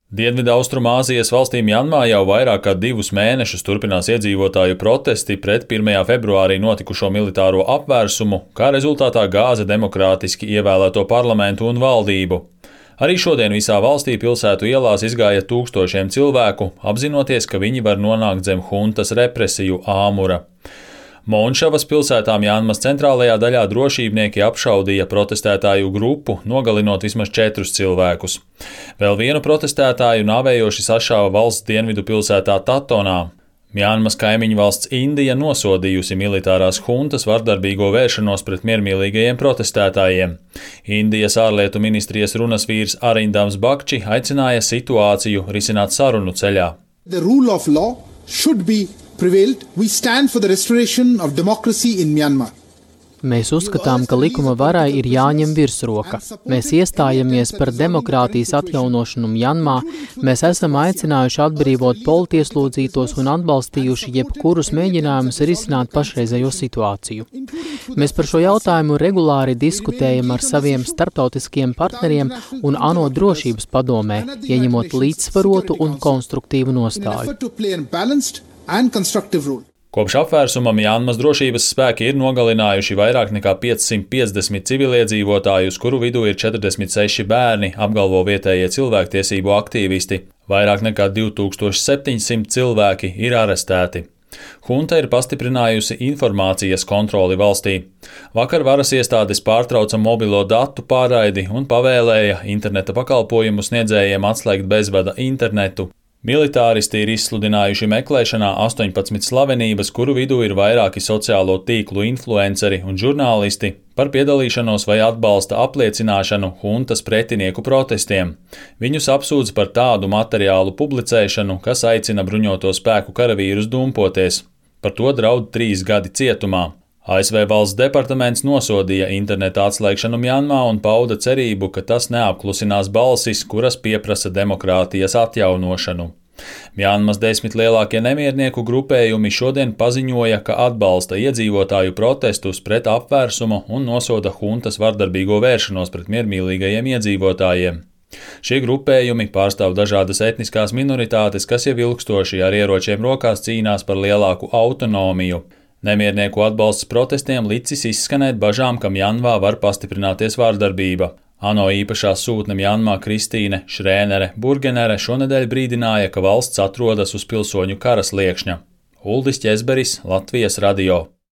Dienvidaustrumāzijas valstī Mjanmā jau vairāk kā 2 mēnešus turpinās iedzīvotāju protesti pret 1. februārī notikušo militāro apvērsumu, kā rezultātā gāza demokrātiski ievēlēto parlamentu un valdību. Arī šodien visā valstī pilsētu ielās izgāja tūkstošiem cilvēku, apzinoties, ka viņi var nonākt zem huntas represiju āmura. Monšavas pilsētā Mjanmas centrālajā daļā drošībnieki apšaudīja protestētāju grupu, nogalinot vismaz 4 cilvēkus. Vēl vienu protestētāju nāvējoši sašāva valsts dienvidu pilsētā Tatonā. Mjanmas kaimiņu valsts Indija nosodījusi militārās huntas vardarbīgo vēršanos pret miermīlīgajiem protestētājiem. Indijas ārlietu ministrijas runas vīrs Arindams Bakči aicināja situāciju risināt sarunu ceļā. The rule of law should be prevailed. We stand for the restoration of democracy in Myanmar. Mēs uzskatām, ka likuma varai ir jāņem virsroka. Mēs iestājamies par demokrātijas atjaunošanu Mjanmā, mēs esam aicinājuši atbrīvot politieslodzītos un atbalstījuši jebkurus mēģinājumus risināt pašreizējo situāciju. Mēs par šo jautājumu regulāri diskutējam ar saviem starptautiskiem partneriem un ANO drošības padomē, ieņemot līdzsvarotu un konstruktīvu nostāju. Kopš apvērsuma Mjanmas drošības spēki ir nogalinājuši vairāk nekā 550 civiliedzīvotājus, kuru vidū ir 46 bērni, apgalvo vietējie cilvēktiesību aktīvisti. Vairāk nekā 2700 cilvēki ir arestēti. Hunta ir pastiprinājusi informācijas kontroli valstī. Vakar varas iestādes pārtrauca mobilo datu pārraidi un pavēlēja interneta pakalpojumu sniedzējiem atslēgt bezvada internetu. Militāristi ir izsludinājuši meklēšanā 18 slavenības, kuru vidū ir vairāki sociālo tīklu influenceri un žurnālisti, par piedalīšanos vai atbalsta apliecināšanu huntas pretinieku protestiem. Viņus apsūdz par tādu materiālu publicēšanu, kas aicina bruņoto spēku karavīrus dumpoties. Par to draud 3 gadi cietumā. ASV valsts departaments nosodīja interneta atslēgšanu Mjanmā un pauda cerību, ka tas neapklusinās balsis, kuras pieprasa demokrātijas atjaunošanu. Mjanmas 10 lielākie nemiernieku grupējumi šodien paziņoja, ka atbalsta iedzīvotāju protestus pret apvērsumu un nosoda huntas vardarbīgo vēršanos pret miermīlīgajiem iedzīvotājiem. Šie grupējumi pārstāv dažādas etniskās minoritātes, kas jau ilgstoši ar ieročiem rokās cīnās par lielāku autonomiju. Nemiernieku atbalsts protestiem licis izskanēt bažām, ka Mjanmā var pastiprināties vārdarbība. ANO īpašā sūtne Mjanmā Kristīne Šrēnere Burgenere šonedēļ brīdināja, ka valsts atrodas uz pilsoņu kara sliekšņa. Uldis Ķezberis, Latvijas radio.